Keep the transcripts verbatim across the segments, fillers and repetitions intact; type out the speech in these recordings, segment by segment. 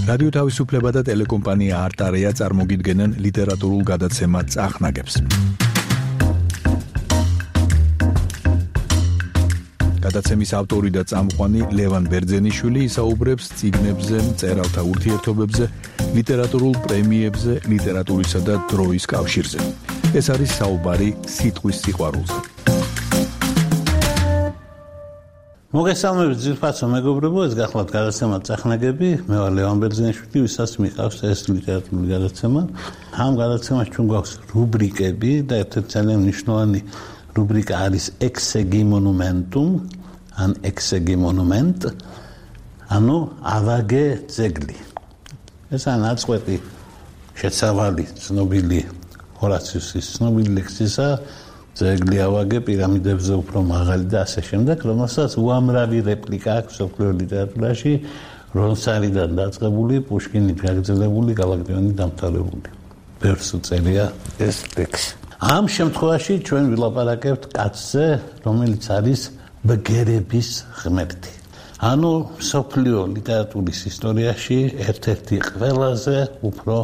რადიო თავისუფლება და ტელეკომპანია არტარეა წარმოგიდგენენ ლიტერატურულ გადაცემა წახნაგებს. გადაცემის ავტორი და წამყვანი ლევან ბერძენიშვილი ისაუბრებს წიგნებზე, მწერალთა ურთიერთობებზე, ლიტერატურულ პრემიებზე, ლიტერატურისა და დროის კავშირზე. ეს არის საუბარი სიტყვის სიყვარულზე. მოგესალმებით ძირფაცო მეგობრებო, ეს გახლავთ გადაცემა წახნაგები, მე ვარ ლევან ბერძენიშვილი, ვისაც მიყავს ეს ლიტერატურული გადაცემა. ამ გადაცემაში ჩვენ გვაქვს რუბრიკები და ერთ-ერთი ძალიან მნიშვნელოვანი რუბრიკა არის ექსეგი მონუმენტუმ, ან ექსეგი მონუმენტ, ანუ ავაგე ძეგლი. ეს არის ნაწყვეტი შეცავალი ცნობილი ჰორაციუსის ცნობილი ლექსისა ძეგლი ავაგე პირამიდებზე უფრო მაღალი და ასე შემდეგ, რომელსაც უამრავი რეპლიკა აქვს მსოფლიო ლიტერატურაში, რონსარიდან დაწყებული, პუშკინით გაგრძელებული, გალაკტიონით დამთავრებული. ბევრს უწერია ეს ლექსი. ამ შემთხვევაში ჩვენ ვილაპარაკებთ კაცზე, რომელიც არის ბგერების ღმერთი. ანუ მსოფლიო ლიტერატურის ისტორიაში ერთ-ერთი ყველაზე უფრო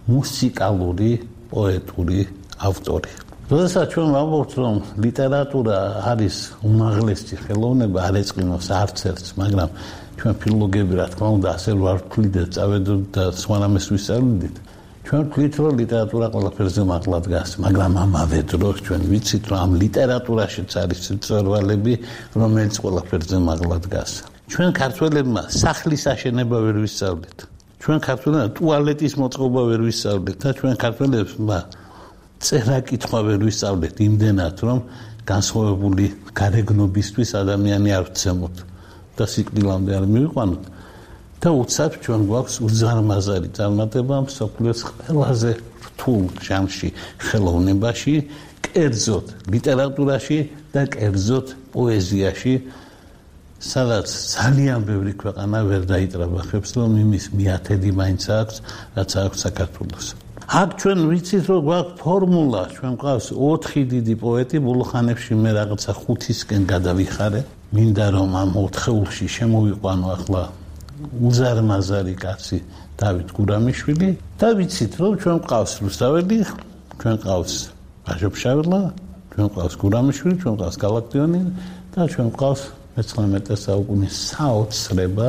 მუსიკალური პოეტური ავტორი. როდესაც ჩვენ ვამბობთ, რომ ლიტერატურა არის უმაღლესი ხელოვნება, არ ეწყინოს არც ერთს, მაგრამ ჩვენ ფილოლოგები, რა თქმა უნდა, ასე ვარ ვთვლით და წავედით და სხვა რამეს ვისწავლით. ჩვენ ვთვლით, რომ ლიტერატურა ყველაფერზე მაღლა დგას, მაგრამ ამავე დროს ჩვენ ვიცით, რომ ამ ლიტერატურაშიც არის მწვერვალები, რომელიც ყველაფერზე მაღლა დგას. ჩვენ ქართველებმა სახლის აშენება ვერ ვისწავლით. ჩვენ ქართველებმა ტუალეტის მოწყობა ვერ ვისწავლით და ჩვენ ქართველებმა წერა-კითხვა ვერ ვისწავლეთ იმდენად, რომ განსხვავებული გარეგნობისთვის ადამიანი არ ვცემოთ და სიკვდილამდე არ მივიყვანოთ. და უცებ ჩვენ გვაქვს უზარმაზარი წარმატება მსოფლიოს ყველაზე რთულ ჟანრში ხელოვნებაში, კერძოდ ლიტერატურაში და კერძოდ პოეზიაში, სადაც ძალიან ბევრი ქვეყანა ვერ დაიტრაბახებს, რომ იმის მიათედი მაინც აქვს, რაც აქვს საქართველოს. აქ ჩვენ ვიცით, რომ გვაქვს ფორმულა, ჩვენ გვყავს ოთხი დიდი პოეტი, ბოლო ხანებში მე რაღაცა ხუთისკენ გადავიხარე, მინდა რომ ამ ოთხეულში შემოვიყვანო ახლა უზარმაზარი კაცი დავით გურამიშვილი და ვიცით, რომ ჩვენ გვყავს რუსთაველი, ჩვენ გვყავს ბაჟოფშაველა, ჩვენ გვყავს გურამიშვილი, ჩვენ გვყავს გალაკტიონი და ჩვენ გვყავს მეცხრამეტე საუკუნის საოცრება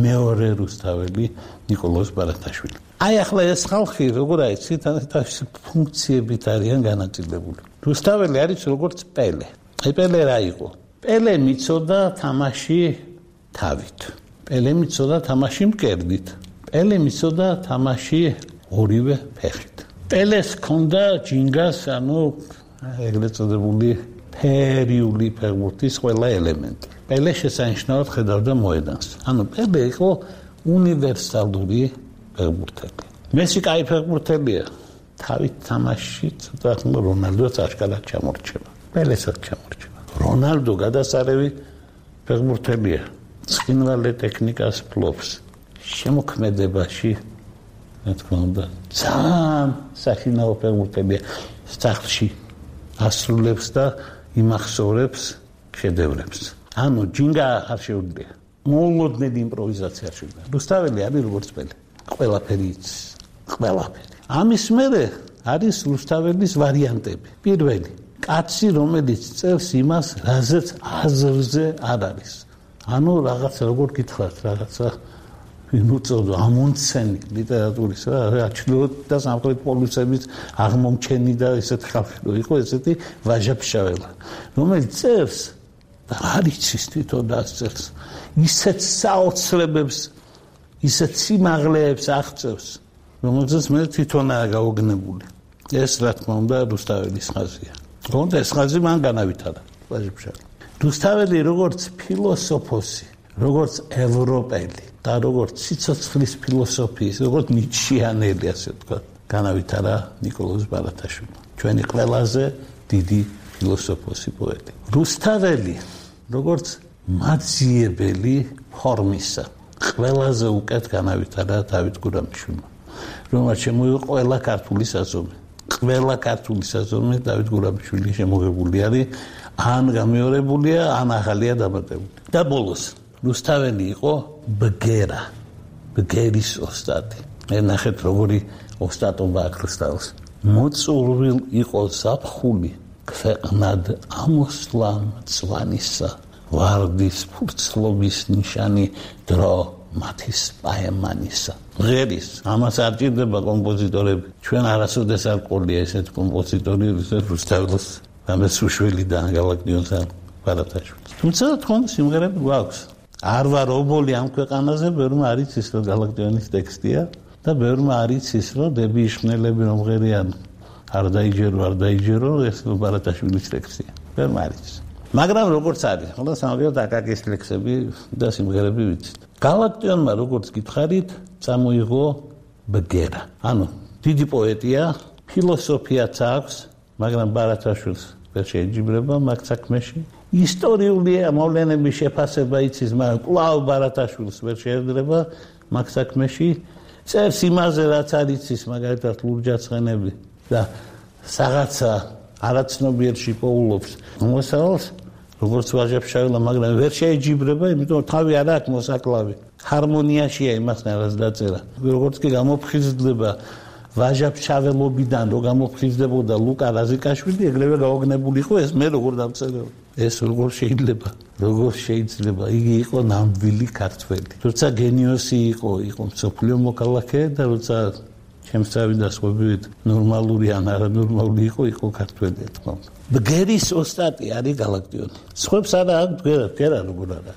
მეორე რუსთაველი ნიკოლოზ ბარათაშვილი. აი ახლა ეს ხალხი, როგორ აიცით, თავისი ფუნქციებით არიან განაწილებული. რუსთაველი არის როგორც პელე. აი პელე რა იყო? პელე მიცოდა თამაში თავით. პელე მიცოდა თამაში მკერდით. პელე მიცოდა თამაში ორივე ფეხით. პელეს ჰქონდა ჯინგას, ანუ ეგრეთ წოდებული ფერიული ფეხბურთის ყველა ელემენტი. პელე შესანიშნავად ხედავდა მოედანს. ანუ პელე იყო უნივერსალური ფეხბურთელი. მესი კაი ფეხბურთელია. თავით თამაში ცოტა ხნ რონალდოც აშკარად ჩამორჩება. პელესაც ჩამორჩება. რონალდო გადასარევი ფეხბურთელია. ცხინვალე ტექნიკას ფლობს. შემოქმედებაში, რა თქმა უნდა, ძალიან სახინაო ფეხბურთელია. სახლში ასრულებს და იმახსოვრებს შედევრებს. ანუ ჯინგა არ შეუძლია. მოულოდნელი იმპროვიზაცია არ შეუძლია. რუსთაველი არის როგორც პელე. ყველაფერი იცის. ყველაფერი. ამის მერე არის რუსთაველის ვარიანტები. პირველი, კაცი, რომელიც წერს იმას, რაზეც აზრზე არ არის. ანუ რაღაც როგორ გითხრათ, რაღაცა იმუწოდო ამონცენი ლიტერატურის რა ჩრდილოეთ და სამხრეთ პოლუსების აღმომჩენი და ესეთი ხალხი იყო, ესეთი ვაჟაფშაველა, რომელიც წერს და არ იცის თვითონ დასწერს, ისეთ საოცრებებს, ისეთ სიმაღლეებს აღწევს, რომელზეც მე თვითონაა გაოგნებული. ეს რა თქმა უნდა რუსთაველის ხაზია. თუმცა ეს ხაზი მან განავითარა ვაჟაფშაველა. რუსთაველი როგორც ფილოსოფოსი, როგორც ევროპელი და როგორც სიცოცხლის ფილოსოფიის, როგორც ნიჩიანელი, ასე ვთქვათ, განავითარა ნიკოლოზ ბარათაშვილი. ჩვენი ყველაზე დიდი ფილოსოფოსი პოეტი. რუსთაველი როგორც მაძიებელი ფორმისა, ყველაზე უკეთ განავითარა დავით გურამიშვილმა, რომელმაც შემოიღო ყველა ქართული საზომი. ყველა ქართული საზომი დავით გურამიშვილი შემოღებული არის, ან გამეორებულია, ან ახალია დამატებული. და ბოლოს რუსთაველი იყო ბგერა. ბგერის ოსტატი. მე ნახეთ როგორი ოსტატობა აქ რუსთავის. მოწურვილ იყო ზაფხული ქვეყნად ამოსვლამ წვანისა ვარდის ფურცლობის ნიშანი დრო მათის პაემანისა. ღერის ამას არ ჭირდება კომპოზიტორები. ჩვენ არასოდეს არ ყოლია ესეთ კომპოზიტორი რუსთავის ამას უშველი და გალაკტიონს ბარათაშვილი. თუმცა თქვენ სიმღერები გვაქვს. არ ვარ ობოლი ამ ქვეყანაზე, ბევრმა არ იცის რომ გალაკტიონის ტექსტია და ბევრმა არ იცის რომ დები იშხნელები რომ ღერიან არ დაიჯერო არ დაიჯერო ეს ბარათაშვილის ტექსტია. ბევრმა არ იცის. მაგრამ როგორც არის, ხოლმე სამაგიეროდ აკაკის ლექსები და სიმღერები ვიცით. გალაკტიონმა როგორც გითხარით, წამოიღო ბგერა. ანუ დიდი პოეტია, ფილოსოფიაც აქვს, მაგრამ ბარათაშვილს ვერ შეეჯიბრება მაგ საქმეში. ისტორიული მოვლენების შეფასება იცის, მაგრამ კვლავ ბარათაშვილს ვერ შეერდება მაგ საქმეში. წერს იმაზე, რაც არ იცის, მაგალითად ლურჯაცხენები და რაღაცა არაცნობიერში პოულობს მოსავალს, როგორც ვაჟა-ფშაველა, მაგრამ ვერ შეეჯიბრება, იმიტომ თავი არ აქვს მოსაკლავი. ჰარმონიაშია იმასთან რაც დაწერა. როგორც კი გამოფხიზლდება ვაჟა-ფშაველობიდან რო გამოფხიზდებოდა ლუკა რაზიკაშვილი, ეგრევე გაოგნებული იყო ეს მე როგორ დავწერეო. ეს როგორ შეიძლება? როგორ შეიძლება? იგი იყო ნამდვილი ქართველი. როცა გენიოსი იყო, იყო მსოფლიო მოქალაქე და როცა ჩემსავი და სხვაებით ნორმალური ან არანორმალური იყო, იყო ქართველი თქო. ბგერის ოსტატი არის გალაკტიონი. სხვებს არა აქვს ბგერა, ბგერა როგორ არა.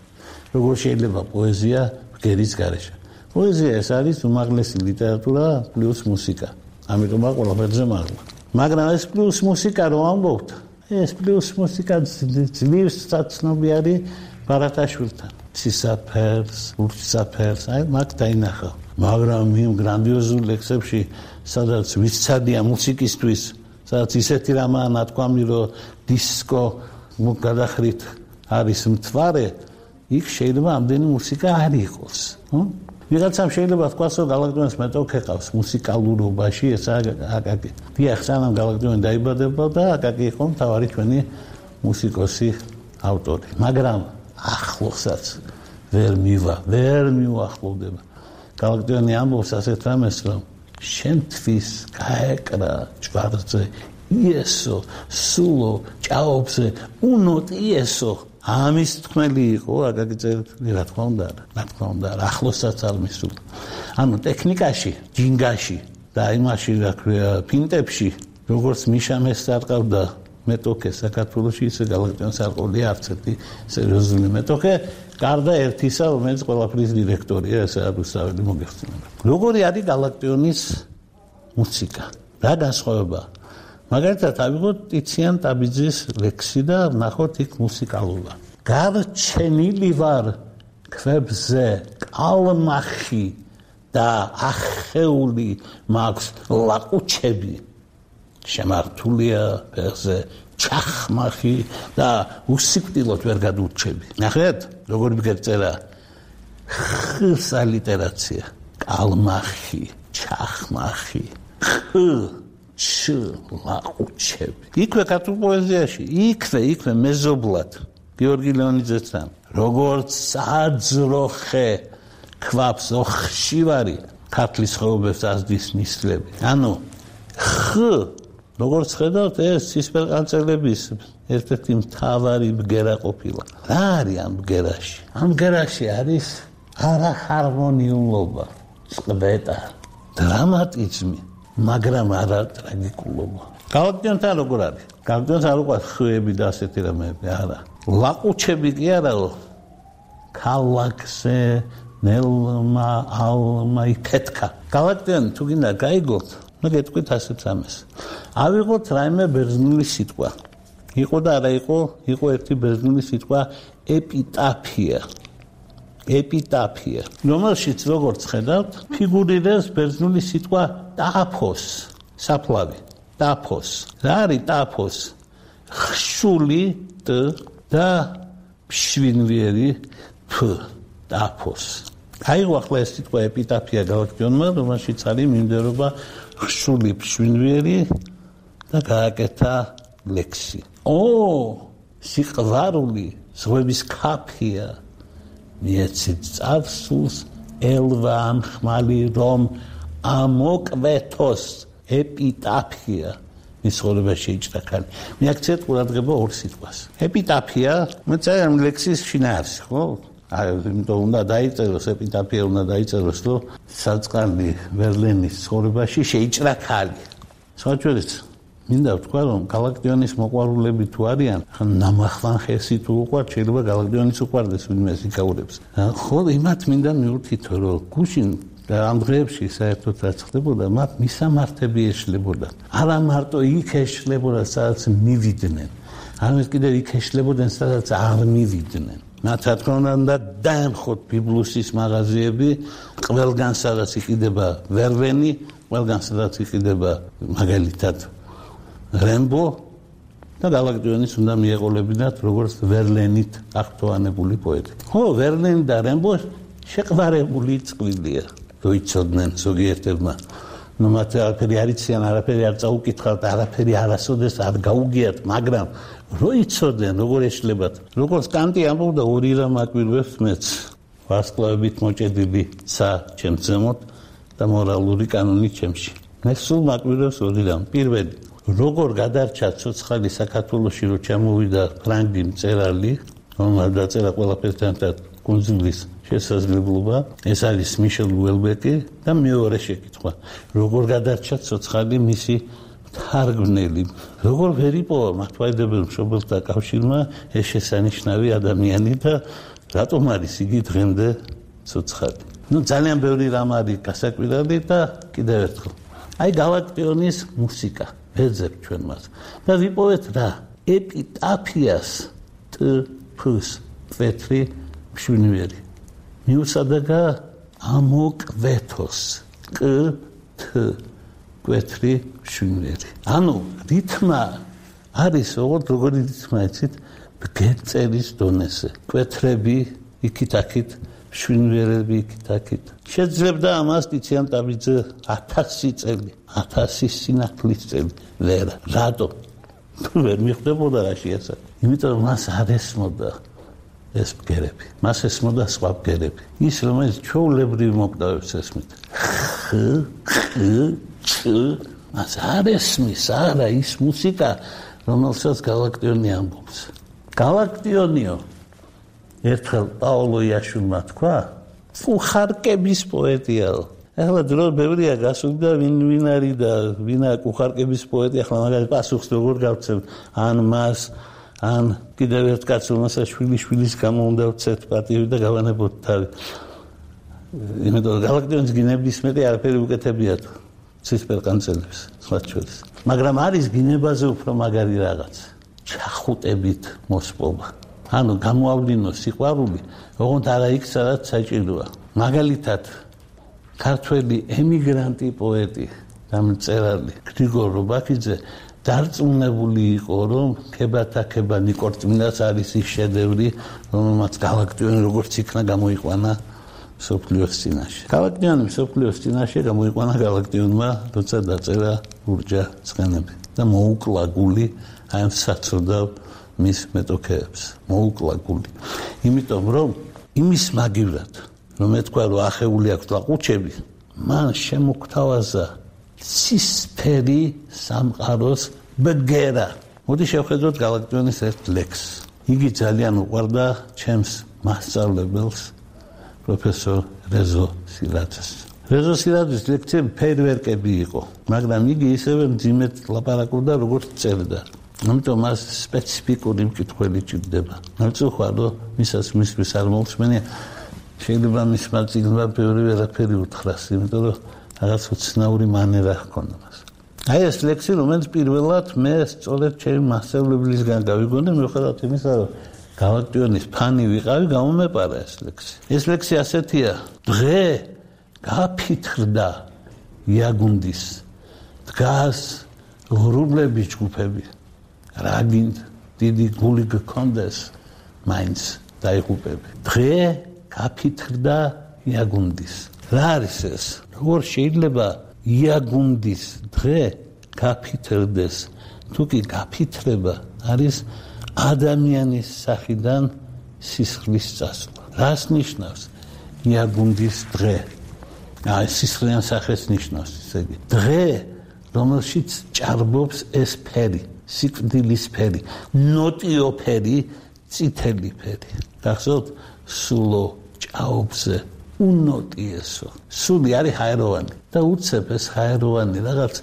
როგორ შეიძლება პოეზია ბგერის გარეშე? პოეზია ეს არის უმაღლესი ლიტერატურა პლუს მუსიკა. ამიტომ ყველაფერზე მაღლა. მაგრამ ეს პლუს მუსიკა რომ ამბობთ, ეს პლუს მუსიკა ძლივს საცნობი არის ბარათაშვილთან. სისაფერს, ურჩსაფერს, აი მაგ დაინახა. მაგრამ იმ გრანდიოზულ ლექსებში, სადაც ვიცადია მუსიკისთვის, სადაც ისეთი რამაა ნათქვამი, რომ დისკო გადახრით არის მთვარე, იქ შეიძლება ამდენი მუსიკა არ იყოს. ვიღაცამ შეიძლება თქვას, რომ გალაკტიონის მეტოქე ყავს მუსიკალურობაში, ეს აკაკი. დიახ, სანამ გალაკტიონი დაიბადებოდა, აკაკი იყო მთავარი ჩვენი მუსიკოსი ავტორი. მაგრამ ახლოსაც ვერ მივა, ვერ მიუახლოვდება. გალაკტიონი ამბობს ასეთ რამეს, რომ შენთვის გაეკრა ჯვარზე იესო, სულო, ჭაობზე, უნოთ იესო. ამის თქმელი იყო აკაკი წერეთელი, რა თქმა უნდა, რა თქმა უნდა, ახლოსაც არ მისულა. ანუ ტექნიკაში, ჯინგაში და იმაში, რა ქვია, ფინტებში, როგორც მიშამეს არყავდა მეტოქე საქართველოში, ისე გალაკტიონს არ ყოლია არც ერთი სერიოზული მეტოქე, გარდა ერთისა, რომელიც ყველაფრის დირექტორია, ეს რუსთაველი მოგეხსენება. როგორი არის გალაკტიონის მუსიკა? რა განსხვავება? მაგალითად, ავიღოთ ტიციან ტაბიძის ლექსი და ვნახოთ იქ მუსიკალურა. გარჩენილი ვარ ქვებზე კალმახი და ახეული მაქვს ლაყუჩები. შემართულია ფეხზე ჩახმახი და უსიკვდილოდ ვერ გადურჩები. ნახეთ, როგორი მგერწერა ხსა ლიტერაცია. კალმახი, ჩახმახი, ხ ჩ ლაყუჩები. იქვე ქართულ პოეზიაში, იქვე, იქვე მეზობლად გიორგი ლეონიძესთან, როგორც საძროხე ქვაფს ოხშივარი ქართლის ხეობებს ასდის ნისლები. ანუ ხ როგორც ხედავთ, ეს ცისფერყანწელების ერთ-ერთი მთავარი ბგერა ყოფილა. რა არის ამ ბგერაში? ამ ბგერაში არის არახარმონიულობა, წყვეტა, დრამატიზმი, მაგრამ არა ტრაგიკულობა. გალაკტიონთან როგორ არის? გალაკტიონს არ უყვარს ხეები და ასეთი რამეები, არა. ლაყუჩები კი არაო. ქალაქზე ნელმა ალმა იფეთქა. გალაკტიონი თუ გინდა გაიგოთ, მე გეტყვით ასეთ რამეს. ავიღოთ რაიმე ბერძნული სიტყვა. იყო და არა იყო, იყო ერთი ბერძნული სიტყვა ეპიტაფია. ეპიტაფია. რომელშიც როგორც ხედავთ, ფიგურირებს ბერძნული სიტყვა ტაფოს, საფლავი, ტაფოს. რა არის ტაფოს? ხშული ტ და შვინვიერი ფ, ტაფოს. აიღო ახლა ეს სიტყვა ეპიტაფია გალაკტიონმა, რომელშიც არის მიმდევრობა ხშული შვინვიერი და გააკეთა ლექსი. ო, სიყვარული ზღვების ქაფია მიეცით წარსულს ელვა ამ ხმალი რომ ამოკვეთოს ეპიტაფია მის ცხოვრებაში იჭრა ქალი. მე აქცევთ ყურადღება ორ სიტყვას. ეპიტაფია მეწერა ლექსის შინაარსი, ხო? აი, იმიტომ უნდა დაიწეროს ეპიტაფია უნდა დაიწეროს, რომ საწყალი ვერლენის ცხოვრებაში შეიჭრა ქალი. საერთოდ მინდა ვთქვა, რომ გალაკტიონის მოყვარულები თუ არიან, ხან ნამახლან ხესი თუ უყვართ, შეიძლება გალაკტიონის უყვარდეს ვინმე იკაურებს. ხო, იმათ მინდა მივუთითო, რომ გუშინ და ამ დღეებში საერთოდ რაც ხდებოდა, მათ მისამართები ეშლებოდა. არა მარტო იქ ეშლებოდა, სადაც მივიდნენ, არამედ კიდევ იქ ეშლებოდნენ, სადაც არ მივიდნენ. მათ რა თქმა უნდა დაემხოთ ბიბლუსის მაღაზიები, ყველგან სადაც იყიდება ვერვენი, ყველგან სადაც იყიდება მაგალითად რემბო და გალაკტიონის უნდა მიეყოლებინათ როგორც ვერლენით აღფრთოვანებული პოეტი. ხო, ვერლენი და რემბო შეყვარებული წყვილია. როიცოდნენ ზოგიერთებმა. ნუ მათ არაფერი არ იციან, არაფერი არ წაუკითხავთ, არაფერი არასოდეს არ გაუგიათ, მაგრამ როიცოდნენ, როგორ ეშლებათ. როგორც კანტი ამბობდა, ორი რამ აკვირვებს მეც. ვარსკვლავებით მოჭედილი ცა ჩემს ზემოთ და მორალური კანონი ჩემში. მე სულ მაკვირვებს ორი რამ. პირველი, როგორ გადარჩა ცოცხალი საქართველოში, რომ ჩამოვიდა ფრანგი მწერალი, რომელმაც დაწერა ყველაფერთან კუნძულის შესაძლებლობა, ეს არის მიშელ უელბეკი და მეორე შეკითხვა, როგორ გადარჩა ცოცხალი მისი თარგმნელი, როგორ ვერ იპოვა მართლმადიდებელ მშობელთა კავშირმა ეს შესანიშნავი ადამიანი და რატომ არის იგი დღემდე ცოცხალი. ნუ ძალიან ბევრი რამ არის გასაკვირველი და კიდევ ერთხელ. აი გალაკტიონის მუსიკა, ვეძებ ჩვენ მას. და ვიპოვეთ რა? ეპიტაფიას ტფს კვეთრი მშვენიერი. მიუსადეგა ამოკვეთოს კ თ კვეთრი მშვენიერი. ანუ რითმა არის ოღონდ როგორი რითმა იცით ბგერწერის დონეზე. კვეთრები იქით-აქით, მშვენიერები იქით-აქით. შეძლებდა ამას ტიციან ტაბიძე ათასი წელი, ათასი სინათლის წელი. ვერა, რატო? ვერ მიხვდებოდა რა შეასა. იმიტომ რომ მას არ ესმოდა ეს ბგერები. მას ესმოდა სხვა ბგერები. ის რომელიც ჩვეულებრივ მოკდავებს ესმით. ხ, ხ, ჩ, მას არ ესმის, არა ის მუსიკა, რომელსაც გალაკტიონი ამბობს. გალაკტიონიო, ერთხელ პაოლო იაშვილმა თქვა, კუხარკების პოეტიაო. ახლა დრო ბევრია გასული და ვინ ვინ არის და ვინა კუხარკების პოეტი, ახლა მაგალითად პასუხს როგორ გავცემ, ან მას ან კიდევ ერთ კაცს, რომელსაც შვილი შვილის გამო უნდა ვცეთ პატივი და გავანებოთ თავი. იმიტომ რომ გალაკტიონის გინებისმეტი არაფერი უკეთებიათ ცისფერყანწელებს, სხვა შორის. მაგრამ არის გინებაზე უფრო მაგარი რაღაც, ჩახუტებით მოსპობა. ანუ გამოავლინოს სიყვარული, ოღონდ არა იქ, სადაც საჭიროა. მაგალითად, ქართველი ემიგრანტი პოეტი და მწერალი გრიგორ რობაქიძე დარწმუნებული იყო, რომ ქებათაქება ნიკორწმინდას არის ის შედევრი, რომელმაც გალაკტიონი როგორც იქნა გამოიყვანა მსოფლიოს წინაშე. გალაკტიონი მსოფლიოს წინაშე გამოიყვანა გალაკტიონმა, როცა დაწერა ლურჯა ცხენები და მოუკლა გული აი საცოდავ მის მეტოქეებს. მოუკლა გული. იმიტომ რომ იმის მაგივრად, რომ ეთქვა რომ ახეული აქვს ლაყუჩები, მან შემოგთავაზა ცისფერი სამყაროს ბგერა. მოდი შევხედოთ გალაკტიონის ერთ ლექსს. იგი ძალიან უყვარდა ჩემს მასწავლებელს, პროფესორ რეზო სილაძეს. რეზო სილაძის ლექციები ფეირვერკები იყო, მაგრამ იგი ისევე მძიმედ ლაპარაკობდა, როგორც წერდა. ამიტომ მას სპეციფიკური მკითხველი ჭირდება. ნაცოხვა რომ მისაც მისთვის არ მოусმენია, შეიძლება მის მაწიგნობა ბევრი ვერაფერი უთხრას, იმიტომ რომ რაღაც უცნაური მანერა ჰქონდა მას. აი ეს ლექსი, რომელიც პირველად მე სწორედ ჩემი მასწავლებელისგან გავიგონე, მიუხედავად იმისა, რომ გალაკტიონის ფანი ვიყავი, გამომეპარა ეს ლექსი. ეს ლექსი ასეთია: დღე გაფითრდა იაგუნდის, დგას ღრუბლების ჯგუფები. რა გინდ დიდი გული გქონდეს, მაინც დაიღუპები. დღე გაფითრდა იაგუნდის. რა არის ეს? როგორ შეიძლება იაგუნდის დღე გაფითრდეს? თუ კი გაფითრება არის ადამიანის სახიდან სისხლის წასვლა. რას ნიშნავს? იაგუნდის დღე. აი სისხლიან სახეს ნიშნავს, ესე იგი. დღე, რომელშიც ჭარბობს ეს ფერი, სიკვდილის ფერი, ნოტიო ფერი, წითელი ფერი. გახსოვთ, სულო ჭაობზე უნოტიესო. სული არის ჰაეროვანი და უცებ ეს ჰაეროვანი რაღაც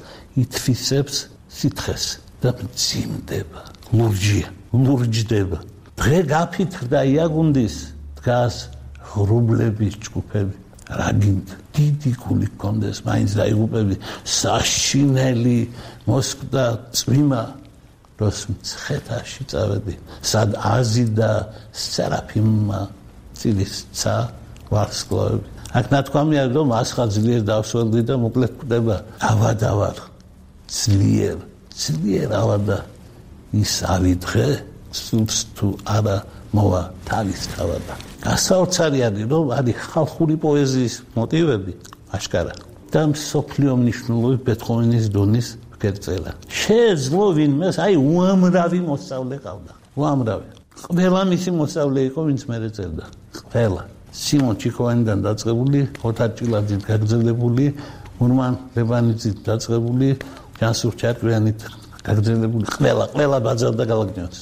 ითვისებს სითხეს და მძიმდება, ლურჯია, ლურჯდება. დღე გაფითრდა იაგუნდის, დგას ღრუბლების ჯგუფები. რა გინდა? დიდი გული გქონდეს, მაინც დაიღუპები, საშინელი მოსკვდა წვიმა, როს მცხეთაში წავედი, სად აზიდა სერაფიმმა წილისცა ვარსკვლავები. აქ ნათქვამია, რომ ასხა ძლიერ დავსველდი და მოკლედ კვდება. ავადა ვარ, ძლიერ, ძლიერ ავადა. ის არის დღე, სულს თუ არა მოვა თავის თავადა. გასაოცარი არის, რომ არის ხალხური პოეზიის მოტივები, აშკარა. და მსოფლიო მნიშვნელობის ბეთჰოვენის დონის გერწერა. შეეძლო ვინმეს, აი უამრავი მოსწავლე ყავდა. უამრავი. ყველა მისი მოსწავლე იყო, ვინც მერე წერდა. ყველა. სიმონ ჩიქოვანიდან დაწყებული, ოთარ ჭილაძით გაგრძელებული, ურმან ლებანიძით დაწყებული, ჯანსუღ ჩარკვიანით გაგრძელებული, ყველა, ყველა ბაძავდა გალაკტიონს.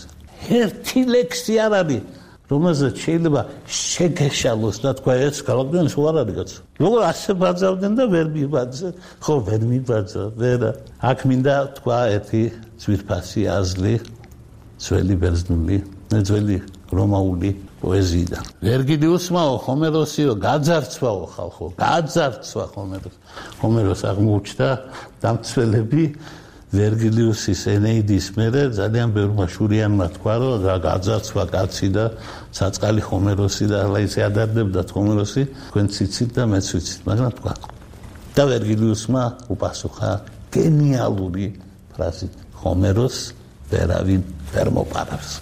ერთი ლექსი არ არის, რომელზეც შეიძლება შეგეშალოს და თქვა, ეს გალაკტიონის უარ არის კაცო. როგორ ასე ბაძავდნენ და ვერ მიბაძა, ხო ვერ მიბაძა, ვერა. აქ მინდა თქვა ერთი ძვირფასი აზრი, ძველი ბერძნული, ძველი რომაული პოეზიიდან. ვერგილიუსმაო, ჰომეროსიო, გაძარცვაო ხალხო, გაძარცვა ჰომეროს. ჰომეროს აღმოუჩნდა დამცველები ვერგილიუსის ენეიდის მერე ძალიან ბევრმა შურიანმა თქვა, რომ გაძარცვა კაცი და საწყალი ჰომეროსი და ახლა ისე ადარდებდა ჰომეროსი, თქვენც იცით და მეც ვიცით, მაგრამ თქვა. და ვერგილიუსმა უპასუხა გენიალური ფრაზით: ჰომეროს ვერავინ ვერ მოპარავს.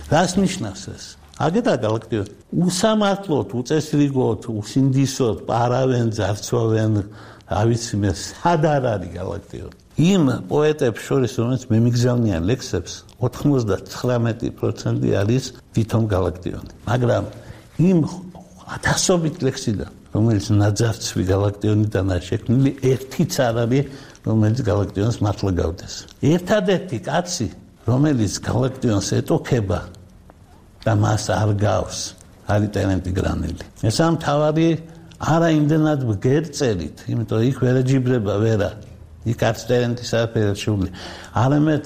რას ნიშნავს ეს? აგეთა გალაქტიო უსამართლოდ, უწესრიგოდ, უსინდისოდ პარავენ, ძარცვავენ, რა ვიცი მე, სად არ არის გალაქტიო. იმ პოეტებს შორის, რომელიც მემიგზავნიან ლექსებს, ოთხმოცდათხრამეტი პროცენტი არის თვითონ გალაქტიონი. მაგრამ იმ ათასობით ლექსიდან, რომელიც ნაძარცვი გალაქტიონიდანაა შექმნილი, ერთიც არ არის, რომელიც გალაქტიონს მართლა გავდეს. ერთადერთი კაცი, რომელიც გალაქტიონს ეტოქება და მას არ გავს, არის ტერენტი გრანელი. ეს ამ თავარი არა იმდენად გერწერით, იმიტომ იქ ვერ ეჯიბრება ვერა. იქ არც ტერენტის არაფერი შეუძლია. არამედ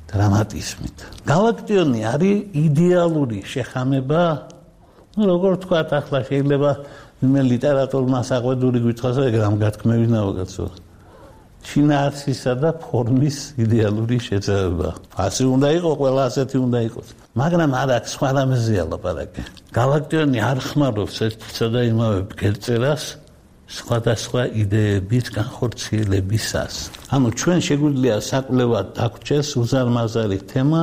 დრამატიზმით. გალაქტიონი არის იდეალური შეხამება, ну როგორ თქვა, ახლა შეიძლება მე ლიტერატურმა საყვედური გვითხრას, ეგ რამ გათქმევინაო კაცო. შინაარსისა და ფორმის იდეალური შეცდომა. ასე უნდა იყოს, ყველა ასეთი უნდა იყოს. მაგრამ არ აქვს სხვა რამეზეა ლაპარაკი. გალაქტიონი არ ხმარობს ერთსა და იმავე გერწერას სხვადასხვა იდეების განხორციელებისას. ანუ ჩვენ შეგვიძლია საკვლევად დაგვრჩეს უზარმაზარი თემა,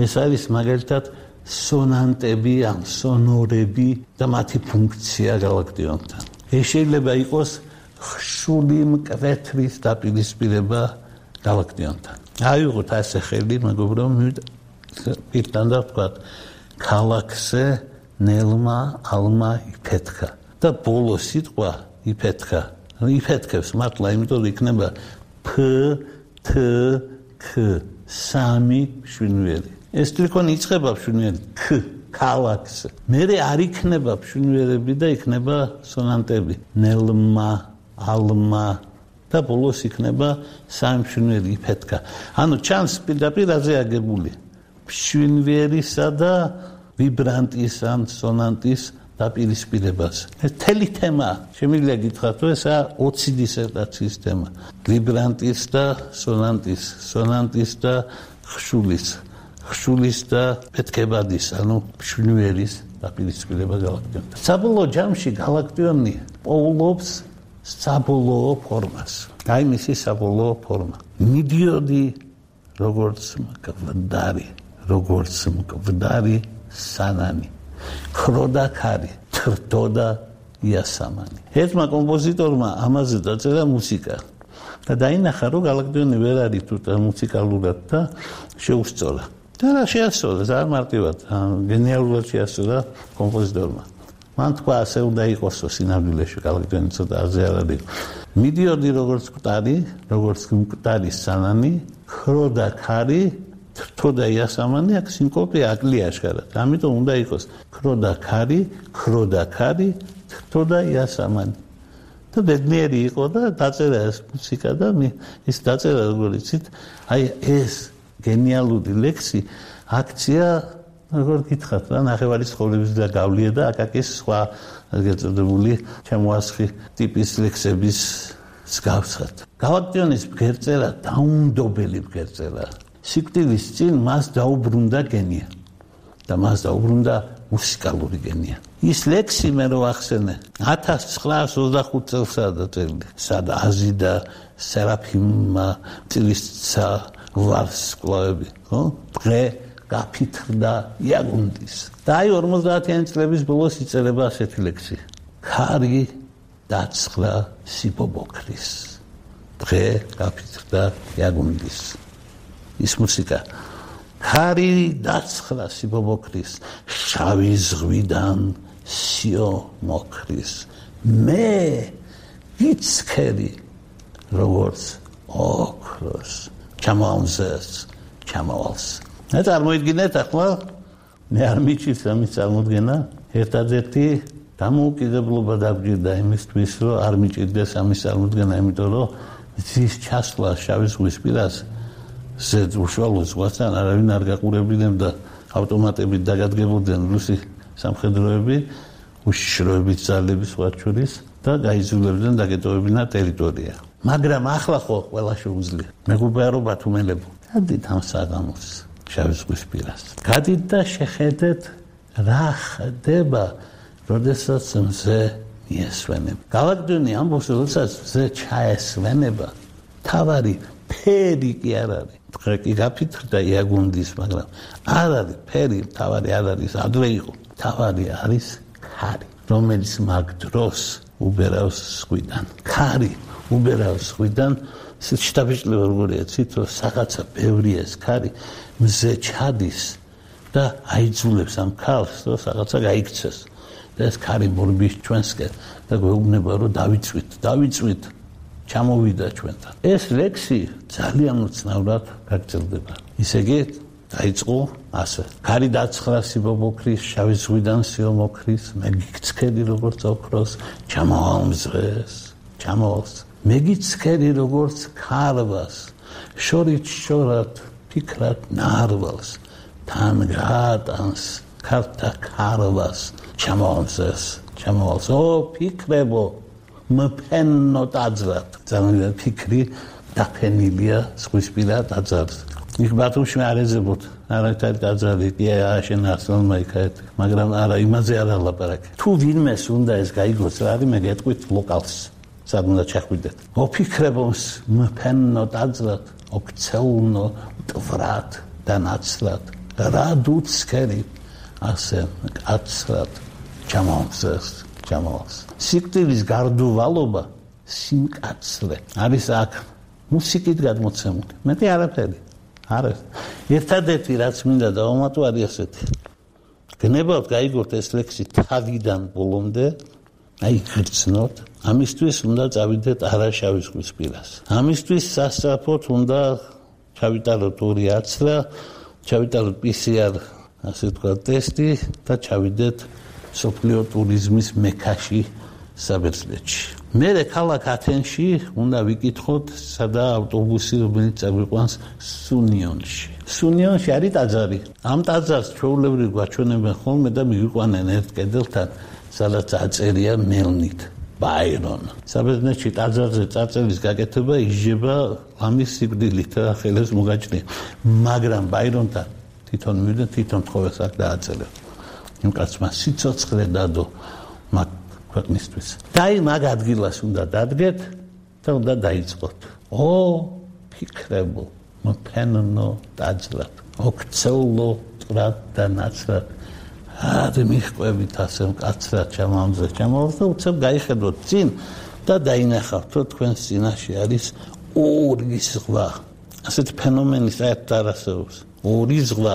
ეს არის მაგალითად სონანტები, ან სონორები და მათი ფუნქცია გალაქტიონთან. ეს შეიძლება იყოს ხშული მკვეთრის დაპირისპირება გალაქტიონთან. აიღოთ ასე ხელი, მეგობრებო, პირთან და ვთქვათ, ქალაქზე ნელმა ალმა იფეთქა და ბოლო სიტყვა იფეთქა. იფეთქებს მართლა, იმიტომ რომ იქნება ფ თ ქ სამი შვინვერი. ეს ტრიკონი იწყება შვინვერი ქ ქალაქზე. მერე არ იქნება შვინვერები და იქნება სონანტები. ნელმა ალმა და ბოლოს იქნება სამი შვინვერი იფეთქა. ანუ ჩანს პირდაპირ აზე აგებული. შვინვერისა და ვიბრანტის ან სონანტის დაპირისპირებას. ეს თელი თემა, შემიძლია გითხრათ, რომ ესა ოცი დისერტაციის თემა. ვიბრანტის და სონანტის, სონანტის და ხშულის, ხშულის და პეთქებადის, ანუ შვინვერის დაპირისპირება გალაქტიონთან. საბოლოო ჯამში გალაქტიონი პოულობს საბოლოო ფორმას. აი მისი საბოლოო ფორმა. მიდიოდი როგორც მკვდარი, როგორც მკვდარი სანანი. ხროდა ქარი, თრდოდა იასამანი. ერთმა კომპოზიტორმა ამაზე დაწერა მუსიკა. და დაინახა, რომ გალაქტიონი ვერ არის თუ მუსიკალურად და შეუსწორა. და რა შეასწორა, არ მარტივად, გენიალურად შეასწორა კომპოზიტორმა. მან თქვა ასე უნდა იყოსო სინამდვილეში კალაკდენი ცოტა აზე არ არის. მიდიოდი როგორც მკვდარი, როგორც მკვდარი სანანი, ხრო და ქარი, თრთო და იასამანი აქ სინკოპია აკლია აშკარად. ამიტომ უნდა იყოს ხრო და ქარი, ხრო და ქარი, თრთო და იასამანი. და ბედნიერი იყო და დაწერა ეს მუსიკა და ის დაწერა როგორ იცით, აი ეს გენიალური ლექსი აქცია როგორ გითხრათ რა ნახევარი ცხოვრების და გავლია და აკაკის სხვა გეწოდებული ჩემოასხი ტიპის ლექსების მსგავსად. გავაკტიონის ბგერწერა დაუნდობელი ბგერწერა. სიკვდილის წინ მას დაუბრუნდა გენია და მას დაუბრუნდა მუსიკალური გენია. ის ლექსი მე რო ახსენე ათას ცხრაას ოცდახუთ წელსაა დაწერილი. სადა აზიდა სერაფიმა წილისცა ვარსკვლავები, ხო? დღე გაფითრდა იაგუნდის. და აი ორმოცდაათიანი წლების ბოლოს იწერება ასეთი ლექსი. ქარი დაცხრა სიბობოქრის. დღე გაფითრდა იაგუნდის. ის მუსიკა. ქარი დაცხრა სიბობოქრის, შავი ზღვიდან სიო მოქრის. მე გიცქერი როგორც ოქროს. ჩამოვამზეს, ჩამოვალს. მე წარმოიდგინეთ ახლა მე არ მიჩვენს ამის წარმოდგენა ერთადერთი დამოუკიდებლობა დაგვჭირდა იმისთვის რომ არ მიჭირდეს ამის წარმოდგენა იმიტომ რომ ის ჩასვლა შავი ზღვის პირას ზედ უშუალო ზღვასთან არავინ არ გაყურებინებდა ავტომატებით დაგადგებოდნენ რუსი სამხედროები უშიშროებით ძალების სხვა შორის და გაიზულებდნენ დაგეტოვებინა ტერიტორია მაგრამ ახლა ხო ყველა შეუძლია მეგობრობა თუმელებო გადით ამ საღამოს შავი ზღვის პირას. გადით და შეხედეთ რა ხდება, როდესაც მზე მიესვენება. გავაკდენი ამბობს, როდესაც მზე ჩაესვენება, თავარი ფერი კი არ არის. დღე კი გაფითრდა იაგუნდის, მაგრამ არ არის ფერი, თავარი არ არის, ადრე იყო. თავარი არის ქარი, რომელიც მაგ დროს უბერავს ზღვიდან. ქარი უბერავს ზღვიდან, შტაბეჭდილება როგორია, ციტო რაღაცა ბევრია ეს ქარი. მზე ჩადის და აიძულებს ამ ქალს რომ რაღაცა გაიქცეს და ეს ქარი მორბის ჩვენსკენ და გვეუბნება რომ დავიწვით დავიწვით ჩამოვიდა ჩვენთან ეს ლექსი ძალიან უცნაურად გაგრძელდება ისე იგი დაიწყო ასე ქარი დაცხრა სიბობოქრის შავი ზღვიდან სიო მოქრის მე გიცქერი როგორც ოქროს ჩამოვამზღეს ჩამოვალს მე გიცქერი როგორც ქარვას შორით შორად ფიქრად ნარვალს თან გაატანს ქართა ქარვას ჩამოვამზეს ჩამოვალს ო ფიქრებო მფენო დაძრად ძალიან ფიქრი დაფენილია ზღვისპირა დაძრად იქ ბათუმში არ ეძებოთ არაერთად დაძრადი კი აშენ არსონმა იქეთ მაგრამ არა იმაზე არ ალაპარაკე თუ ვინმეს უნდა ეს გაიგოს რა არის მე გეტყვით ლოკალს სად უნდა ჩახვიდეთ ო ფიქრებო მფენო დაძრად ოქცეულნო ტვრად და ნაცრად რა დუცქერი ასე კაცრად ჩამოვსეს ჩამოვს სიკვდილის გარდუვალობა სიმკაცრე არის აქ მუსიკით გადმოცემული მეტი არაფერი არა ერთადერთი რაც მინდა დავამატო არის ასეთი გნებავთ გაიგოთ ეს ლექსი თავიდან ბოლომდე აი გრძნოთ ამისთვის უნდა წავიდეთ არაშავი ზღვის პირას ამისთვის სასწრაფოდ უნდა ჩავიტაროთ ორი აცრა ჩავიტაროთ პი სი არ ასე თქვა ტესტი და ჩავიდეთ სოფლიო ტურიზმის მექაში საბერძნეთში მერე ქალაქ ათენში უნდა ვიკითხოთ სადა ავტობუსი რომელიც წაგვიყვანს სუნიონში სუნიონში არის ტაძარი ამ ტაძარს ჩვეულებრივ გვაჩვენებენ ხოლმე და მივიყვანენ ერთ კედელთან სადაც აწერია მელნით ბაირონ საბერძნეთში ტაძარზე წარწერის გაკეთება იშება ამის სიკვდილით და ხელებს მოგაჭრია მაგრამ ბაირონთან თვითონ მივიდა თვითონ თხოვეს აქ დააწერა იმ კაცმა სიცოცხლე დადო მაგ ქვეყნისთვის და აი მაგ ადგილას უნდა დადგეთ და უნდა დაიწყოთ ო ფიქრებო მფენო დაძრად ოქცეულო ტრად და ნაცრად არი მიხვევით ასე მკაცრად ჩამამზე ჩამოვს და უცებ გაიხედოთ წინ და დაინახავთ რომ თქვენ წინაშე არის ორი ზღვა ასეთ ფენომენი საერთოდ არ არსებობს ორი ზღვა